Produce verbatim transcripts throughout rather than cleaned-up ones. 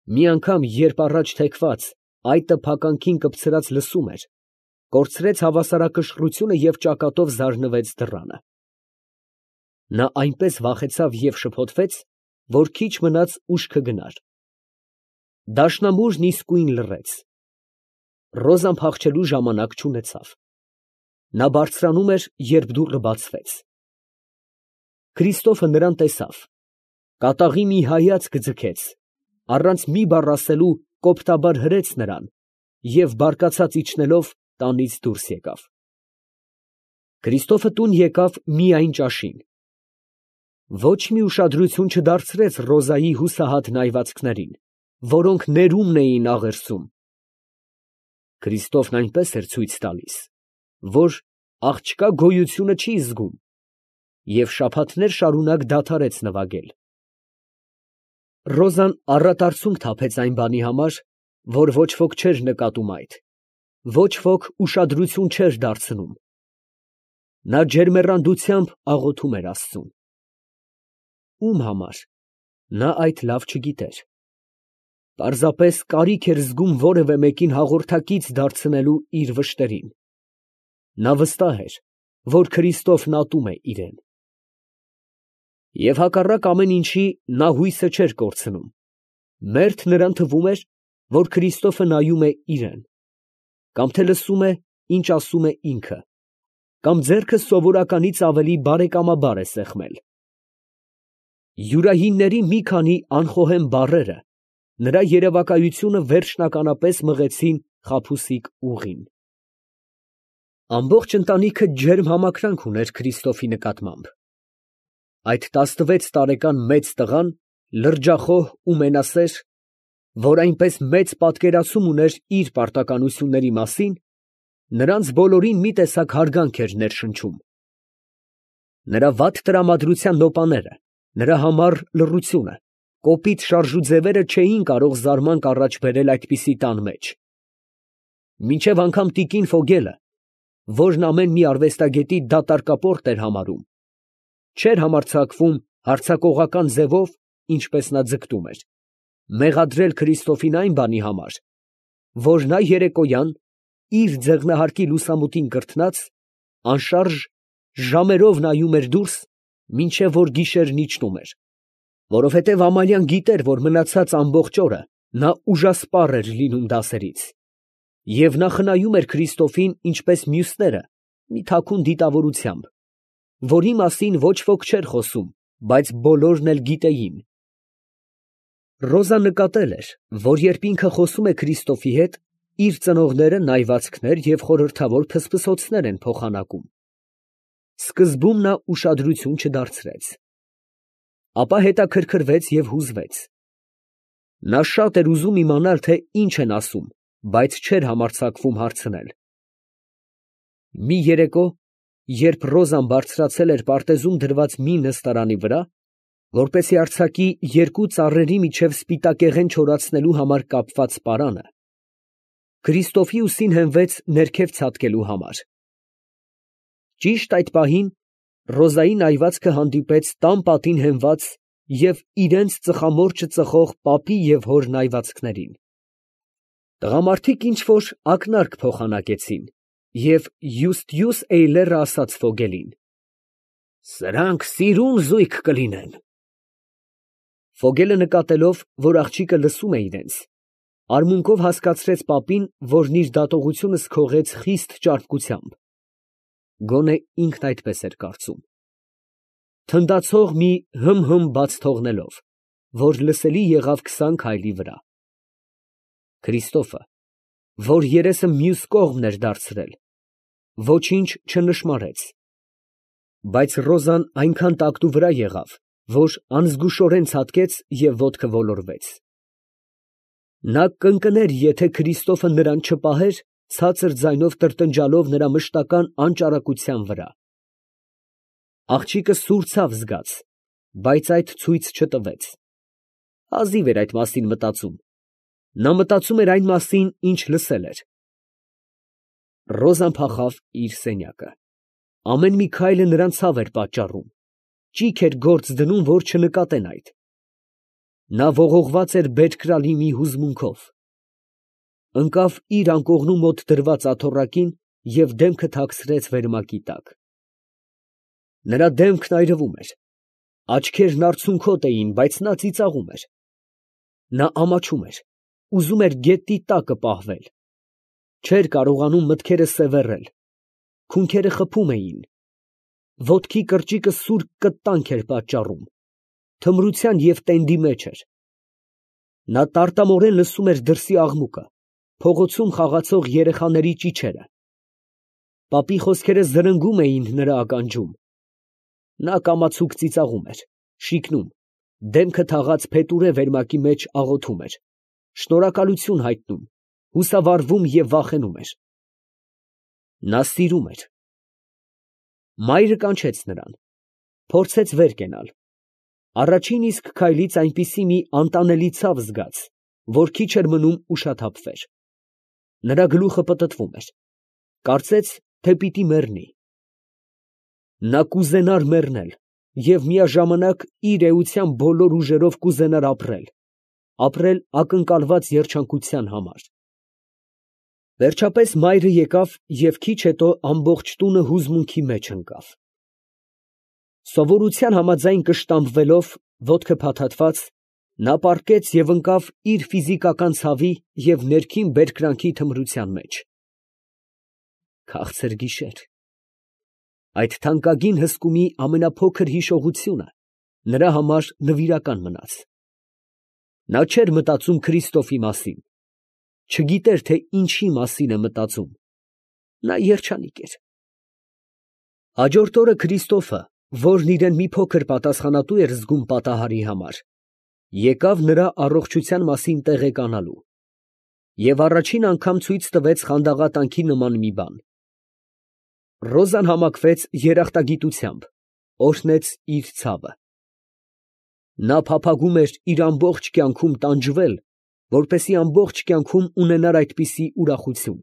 Մի անգամ, երբ առաջ թեքված, այդ տփականքին կպցրած լսում էր, կորցրեց հավասարակշռությունը և ճակատով զարնվեց դռանը։ Նա այնպես վախեցավ և շփոթվեց, որ քիչ մնաց ուշքը գնար։ Դաշնամուրն իսկույն լռեց։ Ռոզան փախչելու ժամանակ չունեցավ։ Նա բարձրանում էր, երբ դուռը բացվեց։ Քրիստոֆը նրան տեսավ, կատաղի մի հայացք ձգեց, առանց մի բառ ասելու կոպտաբար հրեց նրան և բարկացած իջնելով տանից դուրս եկավ։ Քրիստոֆը տուն եկավ միայն ճաշին։ Ոչ մի ուշադրություն չդարձրեց Ռոզայի հուսահատ նայվածքներին, որոնք ներումն էին աղերսում։ Քրիստոֆն այնպես էր ցույց տալիս, որ աղջկա գոյությունը չի զգում, և շաբաթներ շարունակ դադարեց նվագել։ Ռոզան առատ արցունք թափեց այն բանի համար, որ ոչ ոք չէր նկատում այդ, ոչ ոք ուշադրություն չէր դարձնում։ Նա ջերմեռանդությամբ աղոթում էր աստծուն։ Ո՞ւմ համար, նա այդ լավ չգիտեր։ Պարզապես կարիք էր զգում որևէ մեկին հաղորդակից դարձնելու իր վշտերին։ Նա վստահ էր, որ Քրիստոֆն ատում է իրան։ Եվ հակառակ ամեն ինչի, նա հույսը չէր կորցնում։ Մերթ նրան թվում էր, որ Քրիստոֆը նայում է իրան, կամ թե լսում է, ինչ ասում է ինքը, կամ ձեռքը սովորականից ավելի բարեկամաբար է սեղմել։ Յուրայինների մի քանի անխոհեմ բառերը նրա երևակայությունը վերջնականապես մղեցին խաբուսիկ ուղին։ Ամբողջ ընտանիքը ջերմ համակրանք ուներ Քրիստոֆի նկատմամբ։ Այդ տասնվեց տարեկան մեծ տղան, լրջախոհ ու մենասեր, որ այնպես մեծ պատկերացում ուներ իր պարտականությունների մասին, նրանց բոլորին մի տեսակ հարգանք էր ներշնչում։ Նրա վատ տրամադրության նոպաները, նրա համառ լռությունը, կոպիտ շարժուձևերը չէին կարող զարմանք առաջ բերել այդպիսի տան մեջ։ Մինչև անգամ տիկին Ֆոգելը, որն ամեն մի արվեստագետի դատարկապորտ էր համարում, չէր համարձակվում հարձակողական ձևով, ինչպես նա ձգտում էր, մեղադրել Քրիստոֆին այն բանի համար, որ նա երեկոյան, իր ձեղնահարկի լուսամուտին կրթնած, անշարժ ժամերով նայում էր դուրս, մինչև որ գիշերն իջնում էր, որովհետև Ամալիան գիտեր, որ մնացած ամբողջ օրը նա ուժասպառ էր լինում դասերից, և նա խնայում էր Քրիստոֆին, ինչպես մյուսները, մի թաքուն դիտավորությամբ, որի մասին ոչ ոք չէր խոսում, բայց բոլորն էլ գիտեին։ Ռոզան նկատել էր, որ երբ ինքը խոսում է Քրիստոֆի հետ, իր ծնողները նայվածքներ և խորհրդավոր փսփսոցներ են փոխանակում։ Սկզբում նա ուշադրություն չդարձրեց, ապա հետաքրքրվեց և հուզվեց։ Նա շատ էր ուզում իմանալ, թե ինչ են ասում, բայց չէր համարձակվում հարցնել։ Մի երեկո, երբ Ռոզան բարձրացել էր պարտեզում դրված մի նստարանի վրա, որպեսզի արձակի երկու ծառերի միջև սպիտակեղեն չորացնելու համար կապված պարանը, Քրիստոֆի ուսին հենվեց ներքև ցատկելու համար։ Ճիշտ այդ պահին Ռոզայի նայվածքը հանդիպեց տան պատին հենված և իրենց ծխամորճը ծխող պապի և հոր նայվածքներին։ Տղամարդիկ ինչ֊որ ակնարկ փոխանակեցին, և Յուստյուս Էյլերը ասաց Ֆոգելին. «Սրանք սիրուն զույգ կլինեն»։ Ֆոգելը նկատելով, որ աղջիկը լսում է իրենց, արմունկով հասկացրեց պապին, որն իր դատողությունը սքողեց խիստ ճարպկությամբ, գոնե ինքն այդպես էր կարծում, թնդացող մի հըմ֊հըմ բաց թողնելով, որ լսելի եղավ քսան քայլի վրա։ Քրիստոֆը, որ երեսը մյուս կողմն էր դարձրել, ոչինչ չնշմարեց, բայց Ռոզան այնքան տակտու վրա եղավ, որ անզգուշորեն ցատկեց և ոտքը ոլորվեց։ Նա կընկներ, եթե Քրիստոֆը նրան չպահեր, ցածր ձայնով տրտնջալով նրա մշտական անճարակության վրա։ Աղջիկը սուր ցավ զգաց, բայց այդ ցույց չտվեց։ Հազիվ էր այդ մասին մտածում։ Նա մտածում էր այն մասին, ինչ լսել էր։ Ռոզան փախավ իր սենյակը։ Ամեն մի քայլը նրան ցավ էր պատճառում, ճիգ էր գործ դնում, որ չնկատեն այդ։ Նա ողողված էր բերկրալի մի հուզմունքով, ընկավ իր անկողնու մոտ դրված աթոռակին և դեմքը թաքցրեց վերմակի տակ։ Նրա դեմքն այրվում էր, աչքերն արցունքոտ էին, բայց նա ծիծաղում էր։ Նա ամաչում էր, ուզում էր գետնի տակը պահվել, չէր կարողանում մտքերը սևեռել, քունքերը խփում էին, ոտքի կրճիկը սուր կտանք էր պատճառում, թմրության և տենդի մեջ էր։ Նա տարտամորեն լսում էր դրսի աղմուկը, փողոցում խաղացող երեխաների ճիչերը։ Պապի խոսքերը զրնգում էին նրա ականջում։ Նա կամացուկ ծիծաղում էր, շիկնում, դեմքը թաղած փետուրե վերմակի մեջ աղոթում էր, շնորհակալություն հայտնում, հուսավառվում և վախենում էր։ Նա սիրում էր։ Մայրը կանչեց նրան, փորձեց վեր կենալ, առաջին իսկ քայլից այնպիսի մի անտանելի ցավ զգաց, որ քիչ էր մնում ուշաթափվեր։ Նրա գլուխը պտտվում էր, կարծեց, թե պիտի մեռնի։ Նա կուզենար մեռնել և միաժամանակ իր էության բոլոր ուժերով կուզենար ապրել, ապրել ակնկալված երջանկության համար։ Վերջապես մայրը եկավ և քիչ հետո ամբողջ տունը հուզմունքի մեջ ընկավ։ Սովորության համաձայն կշտամբվելով, ոտքը փաթաթված, նա պառկեց և ընկավ իր ֆիզիկական ցավի և ներքին բերկրանքի թմրության մեջ։ Քաղցր գիշեր… Այդ թանկագին հսկումի ամենափոքր հիշողությունը նրա համար նվիրական մնաց։ Նա չէր մտածում Քրիստոֆի մասին, չգիտեր, թե ինչի մասին է մտածում, նա երջանիկ էր։ Հաջորդ օրը Քրիստոֆը, որն իրան մի փոքր պատասխանատու էր զգում պատահարի համար, եկավ նրա առողջության մասին տեղեկանալու և առաջին անգամ ցույց տվեց խանդաղատանքի նման մի բան։ Ռոզան համակվեց երախտագիտությամբ, օրհնեց իր ցավը։ Նա փափագում էր իր ամբողջ կյանքում տանջվել, որպեսզի ամբողջ կյանքում ունենար այդպիսի ուրախություն։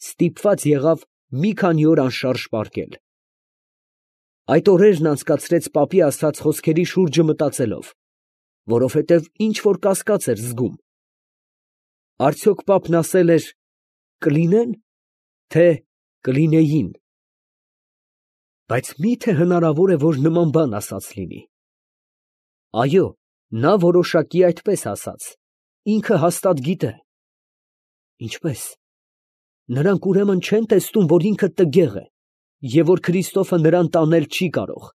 Ստիպված եղավ մի քանի օր անշարժ պառկել։ Այդ օրերն անցկացրեց պապի ասած խոսքերի շուրջը մտածելով, որովհետև ինչ֊որ կասկած էր զգում. արդյոք պապն ասել էր «կլինեն», թե «կլինեին»։ Բայց մի՞թե հնարավոր է, որ նման բան ասած լինի։ Այո, նա որոշակի այդպես ասաց, ինքը հաստատ գիտե։ Ինչպե՞ս։ Նրանք ուրեմն չեն տեսնում, որ ինքը տգեղ է և որ Քրիստոֆը նրան տանել չի կարող։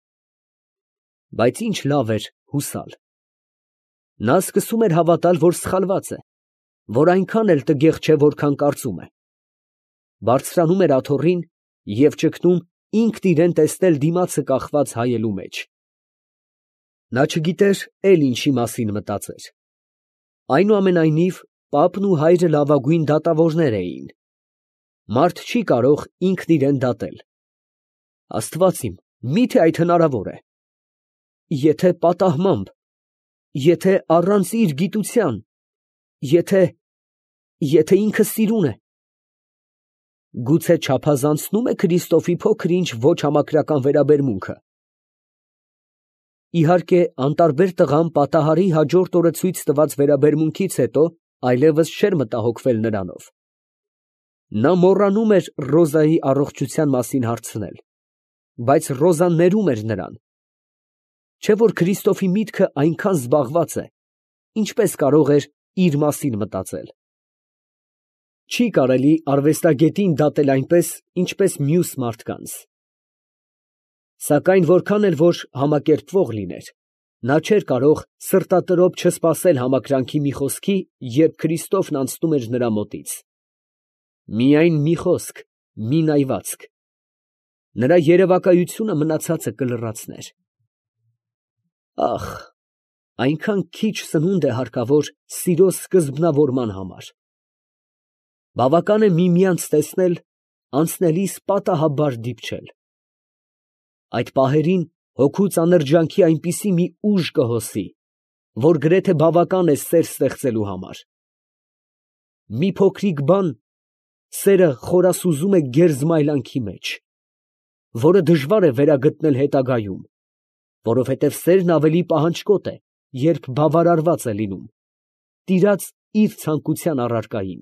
Բայց ինչ լավ էր հուսալ։ Նա սկսում էր հավատալ, որ սխալված է, որ այնքան էլ տգեղ չէ, որքան կարծում է։ Բարձրանում էր աթոռին և ճգնում ինքն իրան տեսնել դիմացը կախված հայելու մեջ։ Նա չգիտեր էլ ինչի մասին մտածեր։ Այնուամենայնիվ, պապն ու հայրը լավագույն դատավորներ էին։ Մարդ չի կարող ինքն իրան դատել։ Աստված իմ, մի՞թե այդ հնարավոր է։ Եթե պատահմամբ, եթե առանց իր գիտության, եթե… եթե ինքը սիրուն է… Գուցե չափազանցնո՞ւմ է Քրիստոֆի փոքր֊ինչ ոչ համակրական վերաբերմունքը։ Իհարկե, անտարբեր տղան պատահարի հաջորդ օրը ցույց տված վերաբերմունքից հետո այլևս չէր մտահոգվել նրանով։ Նա մոռանում էր Ռոզայի առողջության մասին հարցնել, բայց Ռոզան ներում էր նրան։ Չէ՞ որ Քրիստոֆի միտքը այնքան զբաղված է, ինչպես կարող էր իր մասին մտածել։ Չի կարելի արվեստագետին դատել այնպես, ինչպես մյուս մարդկանց։ Սակայն որքան էլ որ համակերպվող լիներ, նա չէր կարող սրտատրոփ չսպասել համակրանքի մի խոսքի, երբ Քրիստոֆն անցնում էր նրա մոտից։ Միայն մի խոսք, մի նայվածք… նրա երևակայությունը մնացածը կլրացներ։ Ախ, այնքան քիչ սնունդ է հարկավոր սիրո սկզբնավորման համար։ Բավական է միմյանց տեսնել, անցնելիս պատահաբար դիպչել։ Այդ պահերին հոգու ծանր ջանքի այնպիսի մի ուժ կհոսի, որ գրեթե բավական է սեր ստեղծելու համար։ Մի փոքրիկ բան սերը խորասուզում է գերզմայլանքի մեջ, որը դժվար է վերագտնել հետագայում, որովհետև սերն ավելի պահանջկոտ է երբ բավարարված է լինում, տիրած իր ցանկության առարկային։